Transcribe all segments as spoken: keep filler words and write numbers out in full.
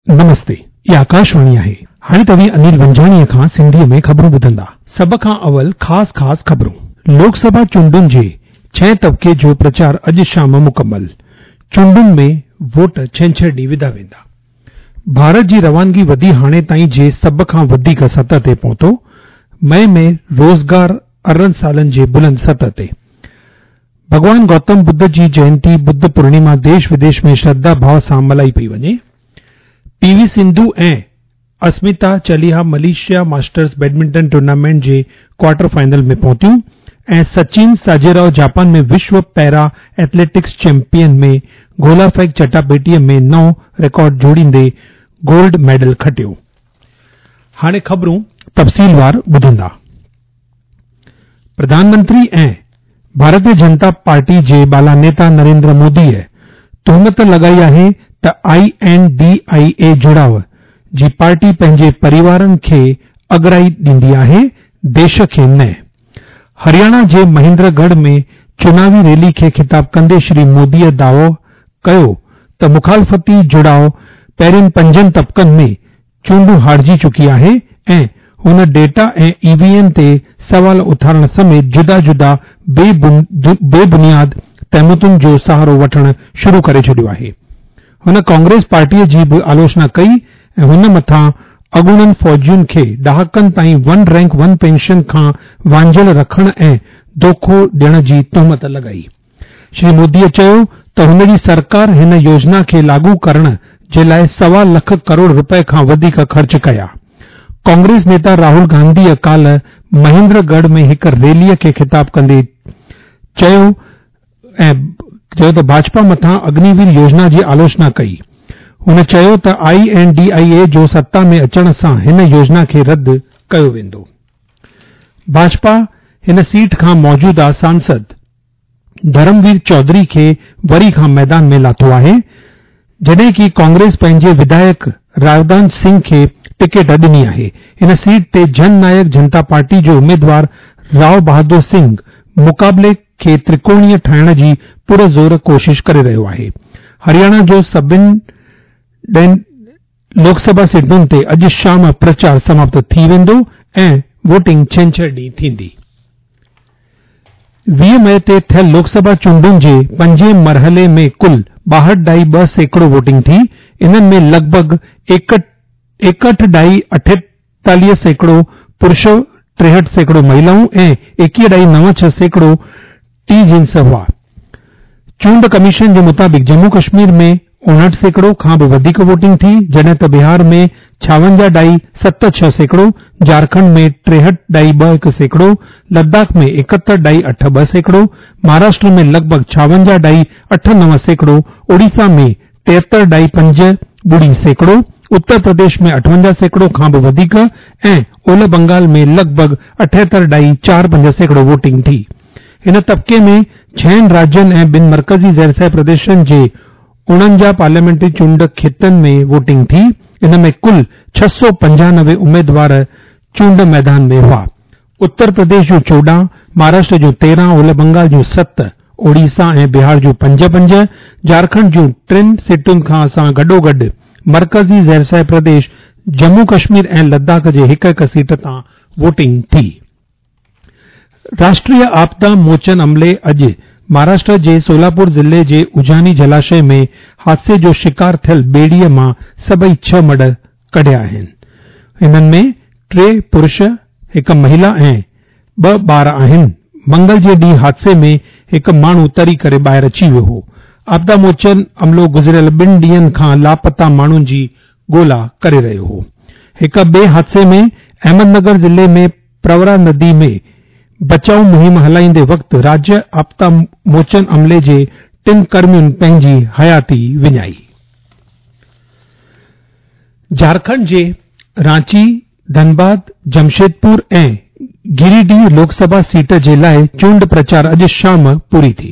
نمستي، اها آڪاشواڻي آهي. هاڻي توهين انيل ونجاڻيء کان سنڌيء ۾ خبرون ٻڌندا. سڀ کان اول خاص خاص خبرون. لوڪ سڀا چونڊن جي ڇهين طبقي جو پرچار اڄ شام مڪمل. چونڊن ۾ ووٽ ڇنڇر ڏينهن وڌا ويندا. ڀارت جي روانگي وڌي هاڻي تائين جي سڀ کان وڌيڪ سطح تي پهتو. مئي ۾ روزگار ارڙهن سالن جي بلند سطح تي. ڀڳوان گوتم ٻڌ جي جينتي ٻڌ پورڻيما ديش وديش ۾ شرڌا ڀاءُ سان ملهائي پئي وڃي. P V Sindhu ۽ Asmita Chaliha Malaysia Masters badminton tournament جي ڪوارٽر فائنل ۾ پهتيون ۽ سچن ساجيراؤ جاپان ۾ وشو پيرا ايٿليٽڪس چيمپيئن ۾ گولا ڦيڪ چٽاڀيٽيء ۾ نئون رڪارڊ جوڙيندي گولڊ ميڊل کٽيو. هاڻي خبرون تفصيلوار ٻڌندا. پرڌان منتري ۽ ڀارتيه جنتا پارٽي جي بالا نيتا نريندر موديء تهمت لڳائي آهي ته I N D I اي جڙاءُ جي پارٽي پنهنجي پريوارن کي اڳرائي ڏيندي آهي، ديش کي نه. هرياڻا جي مهيندر ڳڙهه ۾ چناوي ريلي کي خطاب ڪندي شري موديء دعوو ڪيو ته مخالفتي جڙاءُ پهرين پنجن طبقن ۾ چونڊون هارجي چڪي آهي ۽ هن ڊيٽا ۽ اي وي ايم تي سوال اٿارڻ سميت جدا جدا بي بنياد تهمتن جو سهارو وٺڻ شروع ڪري ڇڏيو آهي. هن ڪانگريس پارٽيء جي به آلوچنا ڪئي ۽ هن مٿان اڳوڻن فوجين کي ڏهاڪن تائين ون رينڪ ون پينشن کان وانجهيل رکڻ ۽ دوکو ڏيڻ جي تهمت لڳائي. شري موديء چيو ته هن جي سرڪار هن يوجنا کي لاڳو ڪرڻ جي لاءِ سوا لک ڪروڙ روپئي کان وڌيڪ خرچ ڪيا. ڪانگريس نيتا راهول گانڌيء ڪالهه مهيندر ڳڙهه ۾ هڪ ريليء کي خطاب ڪندي چيو ۽ چيو ته ڀاجپا مٿان اگنيوير يوجنا جي آلوچنا ڪئي. هن چيو ته I N D I اي جو ستا ۾ اچڻ سان هن يوجنا کي رد ڪيو ويندو. ڀاجپا هن سيٽ کان موجوده سانسد ڌرموير چوڌري کي وري کان ميدان ۾ لاٿو آهي، جڏهن ڪه ڪانگريس پنهنجي وڌايڪ راودان سنگهه کي ٽڪيٽ ڏني آهي. هن سيٽ تي جن نايڪ جنتا پارٽي جو اميدوار رائو بهادر سنگهه مقابلي کي ترڪوڻيه ٺاهڻ جي پرزور ڪوشش ڪري رهيو آهي. هرياڻا جو سڀني ڏهن لوڪ سڀا سيٽن تي اڄ شام پرچار سماپت ٿي ويندو ۽ ووٽنگ ڇنڇر ڏينهن ٿيندي. ويهه مئي تي ٿيل لوڪ سڀا چونڊن جي پنجين مرحلي ۾ ڪل ٻاهٺ ڏهائي ٻه سيڪڙو ووٽنگ ٿي. انهن ۾ لڳ ڀڳ ايڪهٺ ڏهائي اٺيتاليهه سيڪڙو پرش، ٽيهٺ سيڪڙو مهلائون ۽ ايڪويهه ڏهائي نو ڇهه سيڪڙو ٽي جنس هئا. چونڊ ڪميشن جي مطابق ڄمون ڪشمير ۾ اوڻهٺ سيڪڙو کان به وڌيڪ ووٽنگ ٿي، جڏهن ته بهار ۾ ڇاونجاهه ڏهائي ست ڇهه سيڪڙو، جهارکنڊ ۾ ٽيهٺ ڏهائي ٻه هڪ سيڪڙو، لداخ ۾ ايڪهتر ڏهائي اٺ ٻه سيڪڙو، مهاراشٽر ۾ لڳ ڀڳ ڇاونجاهه ڏهائي اٺ نو سيڪڙو، اوڙيسا ۾ ٽيهتر ڏهائي پنج ٻڙي سيڪڙو، اتر پرديش ۾ اٺونجاهه سيڪڙو کان به وڌيڪ ۽ اولهه بنگال ۾ لڳ ڀڳ اٺهتر ڏهائي چار پنج سيڪڙو ووٽنگ ٿي. هن طبقي ۾ ڇهن راجين ۽ ٻن مرڪزي زيرسايه پرديشن جي اوڻونجاهه پارليامينٽري چونڊ کيتن ۾ ووٽنگ ٿي. ان ۾ ڪل ڇهه سؤ پنجانوي اميدوار چونڊ ميدان ۾ هئا. اتر پرديش جون چوڏهن، مهاراشٽر جون تيرهن، اولهه بنگال جون ست، اوڙيسا ۽ بهار جون پنج پنج، جهارکنڊ جون ٽن سيٽن کان سان گڏوگڏ مرڪزي زيرسايه پرديش ڄمون ڪشمير ۽ لداخ جي هڪ هڪ سيٽ تان ووٽنگ ٿي. راشٽريه آپدا موچن عملي اڄ مهاراشٽر جي سولاپور ضلعي جي اجاني جلاشي ۾ حادثي جو شڪار ٿيل ٻيڙيءَ مان سڀئي ڇهه مڙهه ڪڍيا آهن. انهن ۾ ٽي پرش، هڪ مهلا ۽ ٻه ٻار آهن. منگل جي ڏينهن حادثي ۾ هڪ ماڻهو تري ڪري ٻاهر اچي ويو هو. آپدا موچن عملو گذريل ٻن ڏينهن کان لاپتا ماڻهن جي ڳولا ڪري رهيو هو. هڪ ٻئي حادثي ۾ احمد نگر ضلعي ۾ پرورا ندي ۾ بچاءُ مهم هلائيندي وقت راجيه آپدا موچن عملي جي ٽن ڪرمين پنهنجي حياتي وڃائي. جهارکنڊ جي رانچي، ڌنباد، جمشيدپور ۽ گريڊيهه لوڪ سڀا سيٽ جي لاءِ چونڊ پرچار اڄ شام پوري ٿي.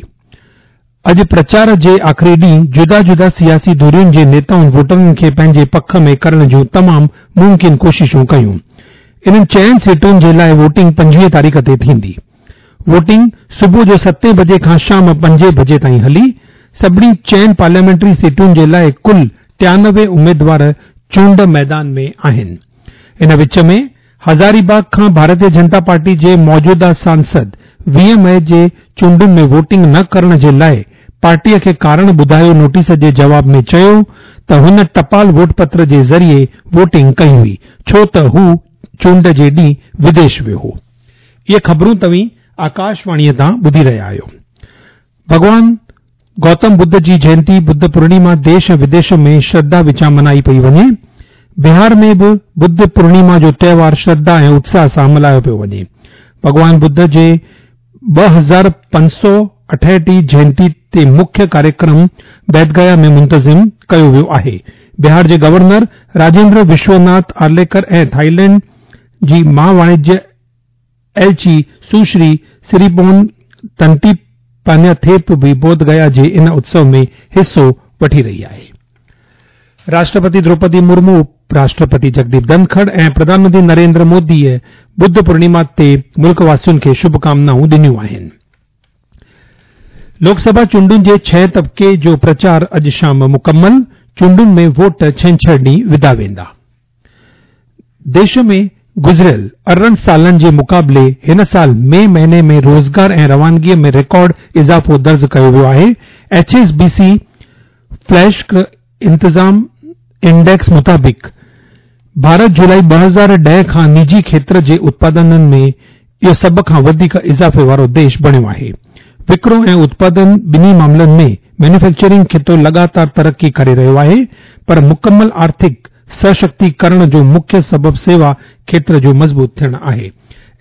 اڄ پرچار جي آخري ڏينهن جدا جدا سياسي ڌرين جي نيتائن ووٽرن کي پنهنجي پک ۾ ڪرڻ جون تمام ممڪن ڪوششون ڪيون. انهن چئن سيٽن جي لاءِ ووٽنگ پنجويهه تاريخ تي ٿيندي. ووٽنگ صبح جو ستين بجي کان شام پنجين بجي تائين هلي. سڀني چئن پارليامينٽري سيٽن جي لاءِ ڪل ٽيانوي اميدوار چونڊ ميدان ۾ آهن. ان وچ ۾ هزاري باغ کان ڀارتيه جنتا پارٽي جي موجوده سانسد ويهه مئي جي چونڊن ۾ ووٽنگ نه ڪرڻ جي لاءِ پارٽيءَ کي ڪارڻ ٻڌايو نوٽيس جي جواب ۾ چيو ته هن ٽپال ووٽ پتر جي ذريعي ووٽنگ ڪئي هئي ڇو ته هو چونڊ جي ڏينهن وديش ويو هو. اهي خبرون توهين آڪاشواڻيءَ تان ٻڌي رهيا آهيو. ڀڳوان گوتم ٻڌ جي جينتي ٻڌ پورڻما ديش ۽ وديش ۾ شرڌا وچان ملهائي پئي وڃي. بهار ۾ به ٻڌ پورڻما جو تهوار شرڌا ۽ اتساهه سان ملهايو پيو وڃي. ڀڳوان ٻڌ جي ٻه هزار پنج سؤ اٺهٺ جينتي تي مکيه ڪاريڪرم بوڌگيا ۾ منتظم ڪيو ويو آهي. بهار جي گورنر راجيندر وشوناٿ آرليڪر ۽ ٿائيلينڊ جي مهاواڻجيه ايلچي سشري سريپون تنتي پانياٿيپ به بوڌگيا جي ان اتسو ۾ حصو وٺي رهي آهي. راشٽرپتي دروپدي مرمو، اپراشٽرپتي جگديپ ڌنکڙ ۽ پرڌان منتري نريندر موديءَ ٻڌ پورڻما تي ملڪ واسين کي شڀڪامنائون ڏنيون آهن. لوڪسڀا چونڊن جي ڇهين طبقي جو پرچار اڄ شام مڪمل، چونڊن ۾ ووٽ ڇنڇر ڏينهن وڌا ويندا. ديش ۾ گذريل ارڙهن سالن جي مقابلي هن سال مئي مهيني ۾ روزگار ۽ روانگيءَ ۾ رڪارڊ اضافو درج ڪيو ويو آهي. H S B C flash انتظام انڊيڪس مطابق ڀارت جولاءِ ٻه هزار ڏهه کان نجي کيتر جي اتپادنن ۾ اهو سڀ کان وڌيڪ اضافي وارو ديش بڻيو آهي. وڪرو ۽ اتپادن ٻنهي معاملن ۾ مينوفيڪچرنگ خطو لڳاتار ترقي ڪري رهيو آهي، پر مڪمل آرٿڪ سشڪتيڪرڻ جو مکيه سبب سيوا کيتر جو مضبوط ٿيڻ آهي.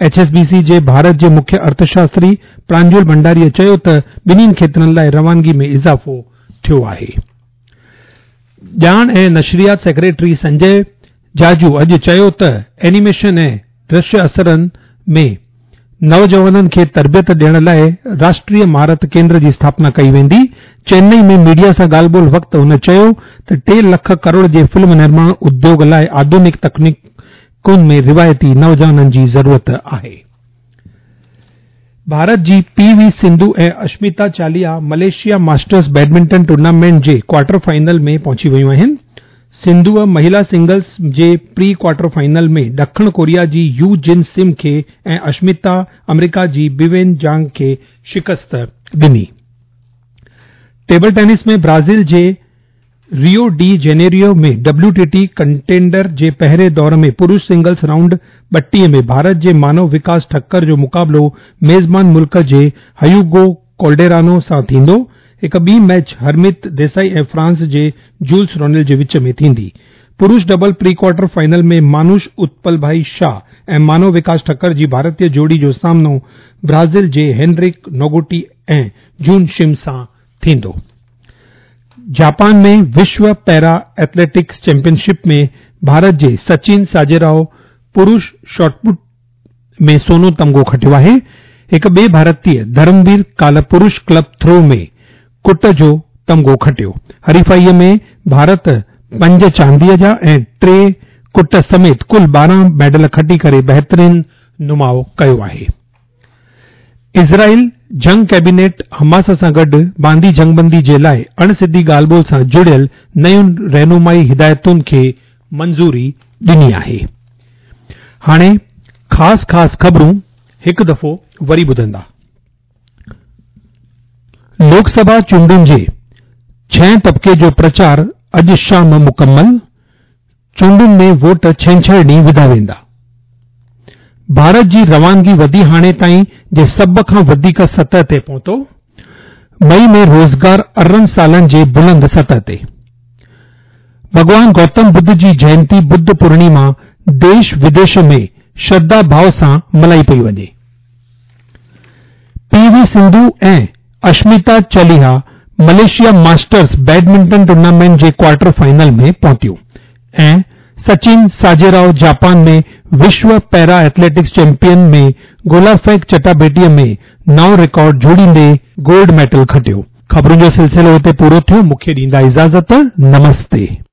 ايڇ ايس بي سي جي ڀارت جي مکيه ارٿشاستري پرانجول ڀنڊاريءَ چيو ته ٻنهي کيترن لاءِ روانگي ۾ اضافو ٿيو آهي. ڄاڻ ۽ نشريات سيڪريٽري سنجي جاجو اڄ چيو ته اينيميشن ۽ درشيه اثرن ۾ نوجوانن کي تربيت ڏيڻ لاءِ راشٽريه مهارت ڪيندر جي اسٿاپنا ڪئي ويندي. چنئي ۾ ميڊيا سان ڳالهه ٻولهه وقت هن چيو ته ٽي لک ڪروڙ جي فلم نرماڻ اديوگ لاءِ آڌنڪ تڪنيڪن ۾ روايتي نوجوانن جي ضرورت آهي. ڀارت جي P V Sindhu ۽ Ashmita Chaliha Malaysia masters badminton tournament جي ڪوارٽر فائنل ۾ پهچي ويون آهن. سنڌوءَ مهلا سنگلز جي پري ڪوارٽر فائنل ۾ ڏکڻ ڪوريا جي يو جن سم کي ۽ اشمتا آمريڪا جي بيوين جانگ کي شڪست ڏني. ٽيبل ٽينس ۾ برازيل جي Rio de Janeiro ۾ W T T contender جي پهرين دور ۾ پرش سنگلز رائونڊ ٻٽيهه ۾ ڀارت جي مانو وڪاس ٺڪر جو مقابلو ميزبان ملڪ جي هيوگو ڪالڊيرانو سان ٿيندو. هڪ ٻي ميچ هرميت ديسائي ۽ فرانس جي جولس رونيل جي وچ ۾ ٿيندي. پرش double pre quarter final ۾ Manush Utpal Bhai Shah ۽ Manav Vikas Thakkar جي ڀارتيه جوڙي جو سامنو برازيل جي هينرڪ نوگوٽي ۽ جون شم سان ٿيندو. جاپان ۾ وشو پيرا ايٿليٽڪس چيمپئن شپ ۾ ڀارت جي سچن ساجيراو پرش شاٽ پٽ ۾ سونو تمغو کٽيو آهي. هڪ ٻئي ڀارتيه ڌرموير ڪالهه پرش ڪلب ٿرو ۾ ڪٽ جو تمغو کٽيو. حريفائيءَ ۾ ڀارت پنج چانديءَ جا ۽ ٽي ڪٽ سميت ڪل ٻارهن ميڊل کٽي ڪري بهترين نماءُ ڪيو آهي. اسرائيل جنگ ڪيبينيٽ حماس سان گڏ باندي جنگبندي جي لاءِ اڻسڌي ڳالهه ٻولهه سان جڙيل نين رهنمائي هدايتن کي منظوري ڏني آهي. هاڻي خاص خاص خبرون هڪ دفعو وري ٻڌندا. لوڪسڀا چونڊن جي ڇهين طبقي جو پرچار اڄ شام مڪمل، چونڊن ۾ ووٽ ڇنڇر ڏينهن وڌا ويندا. ڀارت جي روانگي وڌي هاڻي تائين جي سڀ کان وڌيڪ سطح تي پهتو. مئي ۾ روزگار ارڙهن سالن جي بلند سطح تي. ڀڳوان گوتم ٻڌ جي جينتي ٻڌ پورڻما ديش وديش ۾ شرڌا ڀاو سان ملهائي پئي وڃي. P V Sindhu ۽ Ashmita Chaliha Malaysia masters badminton tournament جي ڪوارٽر فائنل ۾ پهتيون ۽ سچن ساجيراو جاپان ۾ وشو پيرا ايٿليٽڪس چيمپئن ۾ گولا ڦيڪ چٽاڀيٽيءَ ۾ نئون رڪارڊ جوڙيندي گولڊ ميڊل کٽيو. خبرن جو سلسلو هتي پورو ٿيو. مون کي ڏيندا اجازت. نمستي.